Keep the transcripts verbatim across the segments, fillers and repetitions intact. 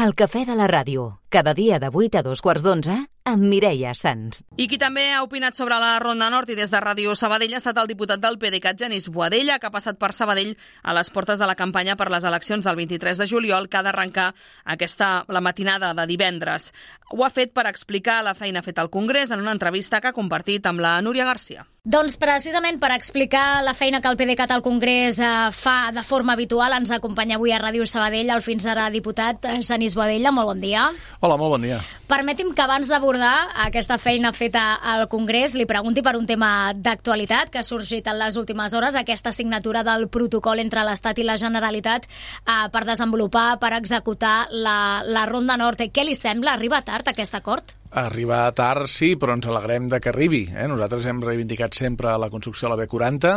El cafè de la ràdio, cada dia de vuit a dos quarts d'onze, amb Mireia Sans. I qui també ha opinat sobre la Ronda Nord i des de Ràdio Sabadell ha estat el diputat del PDeCAT, Genís Boadella, que ha passat per Sabadell a les portes de la campanya per les eleccions del vint-i-tres de juliol, que ha d'arrencar aquesta, la matinada de divendres. Ho ha fet per explicar la feina feta al Congrés en una entrevista que ha compartit amb la Núria Garcia. Doncs precisament per explicar la feina que el PDeCAT al Congrés eh, fa de forma habitual, ens acompanya avui a Ràdio Sabadell el fins ara diputat Genís Boadella. Molt bon dia. Hola, molt bon dia. Permeti'm que abans d'abordar aquesta feina feta al Congrés li pregunti per un tema d'actualitat que ha sorgit en les últimes hores, aquesta signatura del protocol entre l'Estat i la Generalitat eh, per desenvolupar, per executar la, la Ronda Nord. Què li sembla? Arriba tard aquest acord? Arriba tard, sí, però ens alegrem de que arribi. Eh? Nosaltres hem reivindicat sempre la construcció de la B quaranta,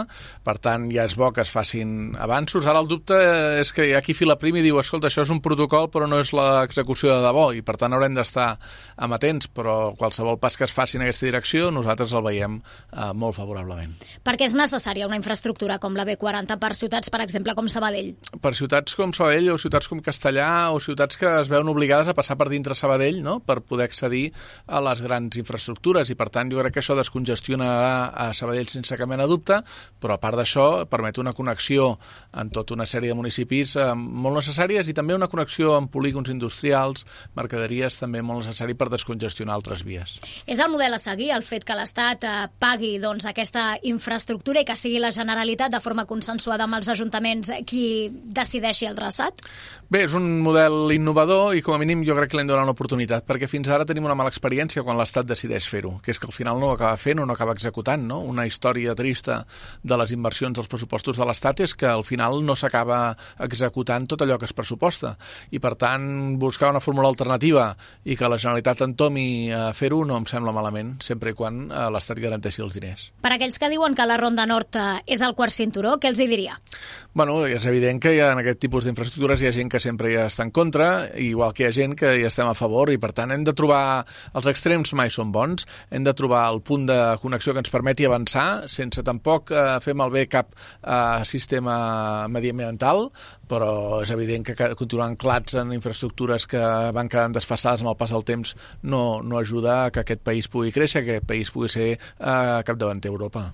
per tant ja és bo que es facin avanços. Ara el dubte és que hi ha qui fila prim i diu escolta, això és un protocol però no és l'execució de debò i per tant haurem d'estar amatents, però qualsevol pas que es faci en aquesta direcció nosaltres el veiem eh, molt favorablement. Perquè és necessària una infraestructura com la B quaranta per ciutats, per exemple, com Sabadell? Per ciutats com Sabadell o ciutats com Castellà o ciutats que es veuen obligades a passar per dintre Sabadell, no?, per poder accedir a les grans infraestructures i per tant jo crec que això descongestionarà a Sabadell sense cap mena de dubte, però a part d'això permet una connexió en tota una sèrie de municipis eh, molt necessàries i també una connexió amb polígons industrials, mercaderies també molt necessari per descongestionar altres vies. És el model a seguir, el fet que l'Estat eh, pagui doncs, aquesta infraestructura i que sigui la Generalitat de forma consensuada amb els ajuntaments qui decideixi el traçat? Bé, és un model innovador i com a mínim jo crec que l'hem donat una oportunitat perquè fins ara tenim una mala experiència quan l'Estat decideix fer-ho, que és que al final no ho acaba fent o no acaba executant, no? Una història trista de les inversions dels pressupostos de l'Estat és que al final no s'acaba executant tot allò que es pressuposta i per tant buscar una fórmula alternativa i que la Generalitat entomi a fer-ho no em sembla malament, sempre i quan l'Estat garanteixi els diners. Per aquells que diuen que la Ronda Nord és el quart cinturó, què els hi diria? Bueno, és evident que hi ha en aquest tipus d'infraestructures hi ha gent que sempre hi està en contra, igual que hi ha gent que hi estem a favor i per tant hem de trobar els extrems mai són bons, hem de trobar el punt de connexió que ens permeti avançar sense tampoc eh, fer malbé cap eh, sistema mediambiental, però és evident que continuar anclats en infraestructures que van quedant desfasades amb el pas del temps no, no ajuda a que aquest país pugui créixer, que aquest país pugui ser eh, capdavanter a Europa.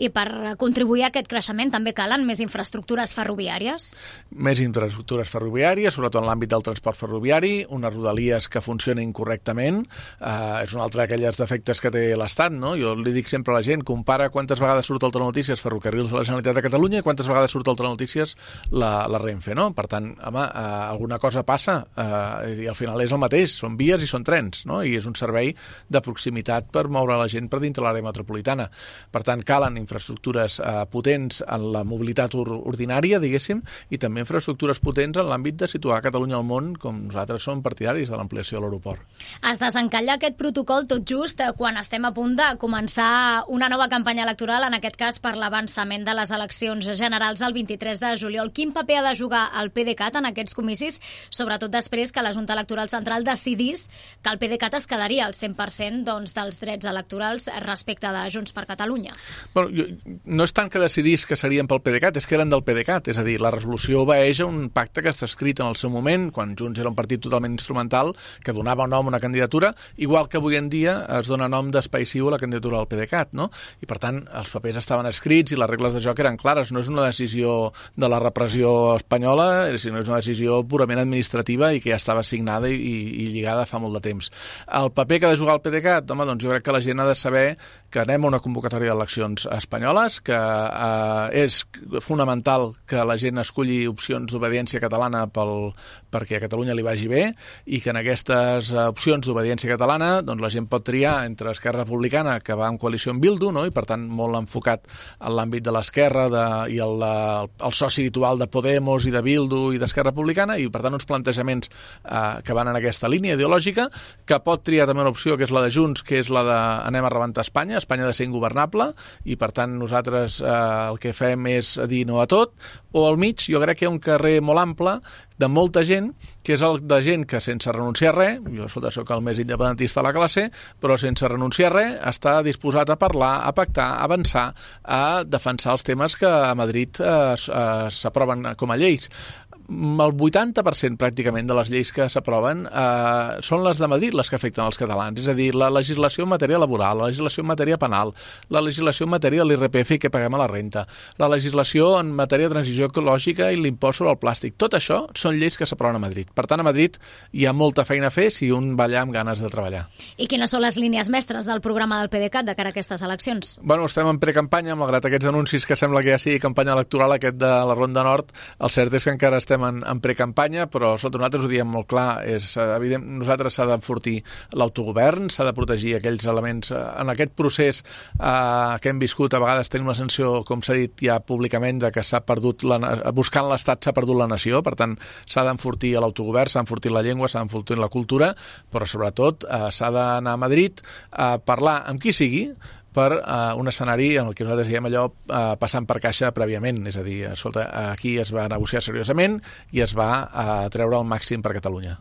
I per contribuir a aquest creixement també calen més infraestructures ferroviàries? Més infraestructures ferroviàries, sobretot en l'àmbit del transport ferroviari, unes rodalies que funcionin correctament. Uh, és un altre d'aquelles defectes que té l'Estat, no? Jo li dic sempre a la gent, compara quantes vegades surt al Telenotícies Ferrocarrils de la Generalitat de Catalunya i quantes vegades surt al Telenotícies la, la Renfe, no? Per tant, home, uh, alguna cosa passa uh, i al final és el mateix, són vies i són trens, no? I és un servei de proximitat per moure la gent per dintre l'àrea metropolitana. Per tant, calen infraestructures uh, potents en la mobilitat ordinària, diguéssim, i també infraestructures potents en l'àmbit de situar Catalunya al món, com nosaltres som partidaris de l'ampliació de l'aeroport. Es desencalla aquest protocol tot just quan estem a punt de començar una nova campanya electoral, en aquest cas per l'avançament de les eleccions generals el vint-i-tres de juliol. Quin paper ha de jugar el PDeCAT en aquests comicis, sobretot després que la Junta Electoral Central decidís que el PDeCAT es quedaria al cent per cent doncs, dels drets electorals respecte de Junts per Catalunya? Bueno, jo, no és tant que decidís que serien pel PDeCAT, és que eren del PDeCAT, és a dir, la resolució obeeix a un pacte que està escrit en el seu moment, quan Junts era un partit totalment instrumental, que donava nom a una candidatura, igual que avui en dia es dona nom d'espai ciu a la candidatura del PDeCAT, no? I per tant, els papers estaven escrits i les regles de joc eren clares. No és una decisió de la repressió espanyola, sinó és una decisió purament administrativa i que ja estava signada i, i, i lligada fa molt de temps. El paper que ha de jugar el PDeCAT, home, doncs jo crec que la gent ha de saber que anem a una convocatòria d'eleccions espanyoles, que eh, és fonamental que la gent esculli opcions d'obediència catalana pel, perquè a Catalunya li vagi bé i que en aquestes opcions d'obediència catalana doncs la gent pot triar entre Esquerra Republicana, que va en coalició amb Bildu, no? I per tant molt enfocat en l'àmbit de l'esquerra de, i el, el, el soci habitual de Podemos i de Bildu i d'Esquerra Republicana, i per tant uns plantejaments eh, que van en aquesta línia ideològica, que pot triar també una opció que és la de Junts, que és la de anem a rebentar Espanya, Espanya ha de ser ingovernable, i per tant nosaltres eh, el que fem és dir no a tot, o al mig jo crec que hi ha un carrer molt ample de molta gent, que és el de gent que sense renunciar a res, jo soc el més independentista de la classe, però sense renunciar a res està disposat a parlar, a pactar, a avançar, a defensar els temes que a Madrid eh, s'aproven com a lleis. el vuitanta per cent pràcticament de les lleis que s'aproven eh, són les de Madrid les que afecten els catalans, és a dir, la legislació en matèria laboral, la legislació en matèria penal, la legislació en matèria de l'I R P F que paguem a la renta, la legislació en matèria de transició ecològica i l'impost sobre el plàstic. Tot això són lleis que s'aproven a Madrid. Per tant, a Madrid hi ha molta feina a fer si un va allà amb ganes de treballar. I quines són les línies mestres del programa del PDeCAT de cara a aquestes eleccions? Bueno, estem en precampanya, malgrat aquests anuncis que sembla que ja sigui campanya electoral aquest de la Ronda Nord. El cert és que encara estem en, en precampanya, però sota nosaltres ho diem molt clar, és evident, nosaltres s'ha d'enfortir l'autogovern, s'ha de protegir aquells elements. En aquest procés eh, que hem viscut, a vegades tenim la sensació, com s'ha dit ja públicament, de que s'ha perdut, la, buscant l'Estat s'ha perdut la nació, per tant s'ha d'enfortir l'autogovern, s'ha d'enfortir la llengua, s'ha d'enfortir la cultura, però sobretot eh, s'ha d'anar a Madrid a parlar amb qui sigui, per uh, un escenari en el que nosaltres diem allò uh, passant per caixa prèviament, és a dir, escolta, aquí es va negociar seriosament i es va uh, treure el màxim per Catalunya.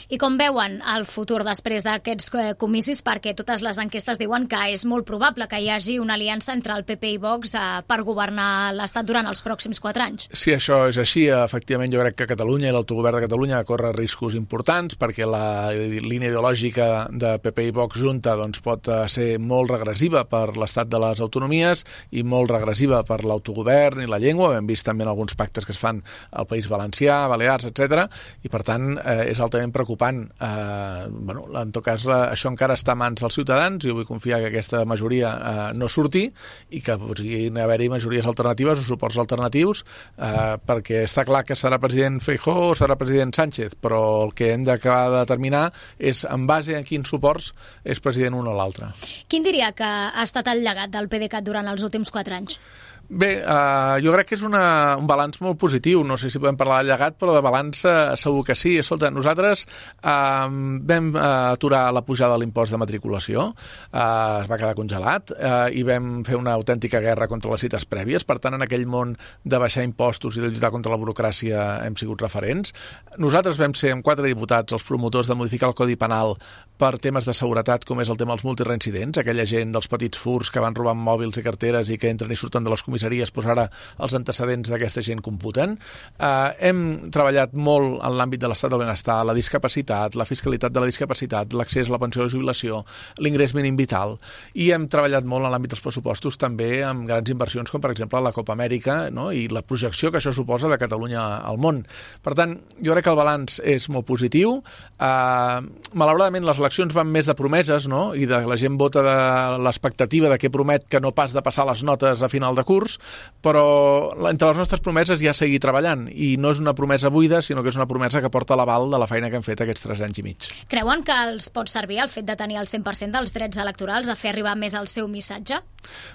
I com veuen el futur després d'aquests comicis? Perquè totes les enquestes diuen que és molt probable que hi hagi una aliança entre el P P i Vox uh, per governar l'Estat durant els pròxims quatre anys. Si això és així, efectivament jo crec que Catalunya i l'autogovern de Catalunya corre riscos importants perquè la línia ideològica de P P i Vox junta doncs, pot ser molt regressiva per l'estat de les autonomies i molt regressiva per l'autogovern i la llengua. Hem vist també en alguns pactes que es fan al País Valencià, Balears, etcètera. I per tant eh, és altament preocupant. Eh, bueno, en tot cas, la, això encara està a mans dels ciutadans i jo vull confiar que aquesta majoria eh, no surti i que puguin haver-hi majories alternatives o suports alternatius eh, perquè està clar que serà president Feijóo o serà president Sánchez, però el que hem d'acabar de determinar és en base a quins suports és president un o l'altre. Quin diria que ha estat el llegat del PDeCAT durant els últims quatre anys? Bé, eh, jo crec que és una, un balanç molt positiu. No sé si podem parlar de llegat, però de balanç eh, segur que sí. Escolta, nosaltres eh, vam eh, aturar la pujada de l'impost de matriculació, eh, es va quedar congelat, eh, i vam fer una autèntica guerra contra les cites prèvies. Per tant, en aquell món de baixar impostos i de lluitar contra la burocràcia hem sigut referents. Nosaltres vam ser, amb quatre diputats, els promotors de modificar el Codi Penal per temes de seguretat, com és el tema dels multireincidents, aquella gent dels petits furs que van robant mòbils i carteres i que entren i surten de les comissaries, doncs ara els antecedents d'aquesta gent computen. Eh, hem treballat molt en l'àmbit de l'estat del benestar, la discapacitat, la fiscalitat de la discapacitat, l'accés a la pensió de jubilació, l'ingrés mínim vital, i hem treballat molt en l'àmbit dels pressupostos també amb grans inversions com per exemple la Copa Amèrica, no? I la projecció que això suposa de Catalunya al món. Per tant, jo crec que el balanç és molt positiu. Eh, malauradament les eleccions van més de promeses, no? I de, la gent vota de l'expectativa de què promet que no pas de passar les notes a final de curs, però entre les nostres promeses hi ha seguir treballant i no és una promesa buida, sinó que és una promesa que porta l'aval de la feina que hem fet aquests tres anys i mig. Creuen que els pot servir el fet de tenir el cent per cent dels drets electorals a fer arribar més el seu missatge?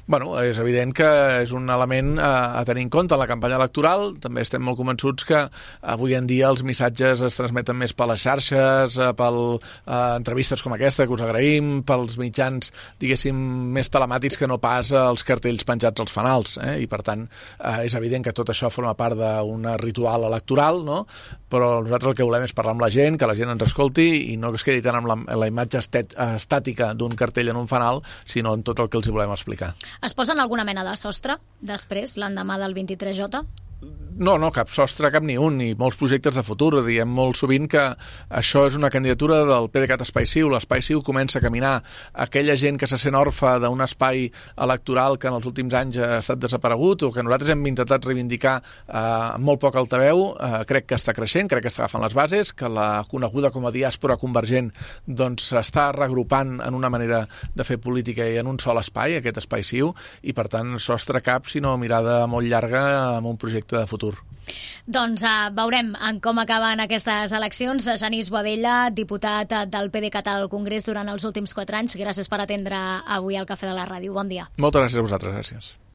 Bueno, és evident que és un element a, a tenir en compte en la campanya electoral. També estem molt convençuts que avui en dia els missatges es transmeten més per les xarxes, per eh, entrevistes com aquesta, que us agraïm, pels mitjans, diguéssim, més telemàtics que no pas els cartells penjats als fanals, eh? I per tant eh, és evident que tot això forma part d'un ritual electoral, no? Però nosaltres el que volem és parlar amb la gent, que la gent ens escolti i no que es quedi tant amb la, la imatge estet, estàtica d'un cartell en un fanal, sinó en tot el que els hi volem explicar. Es posen alguna mena de sostre després, l'endemà del vint-i-tres J? No, no, cap sostre, cap ni un, i molts projectes de futur. Diem molt sovint que això és una candidatura del PDeCAT Espai Ciu. L'Espai Ciu comença a caminar. Aquella gent que se sent orfa d'un espai electoral que en els últims anys ha estat desaparegut o que nosaltres hem intentat reivindicar eh, amb molt poc altaveu, eh, crec que està creixent, crec que està agafant les bases, que la coneguda com a diàspora convergent doncs s'està regrupant en una manera de fer política i en un sol espai, aquest Espai Ciu, i per tant sostre cap, sinó mirada molt llarga amb un projecte de futur. Doncs uh, veurem en com acaben aquestes eleccions. Genís Boadella, diputat del PDeCAT al Congrés durant els últims quatre anys. Gràcies per atendre avui al Cafè de la Ràdio. Bon dia. Moltes gràcies a vosaltres. Gràcies.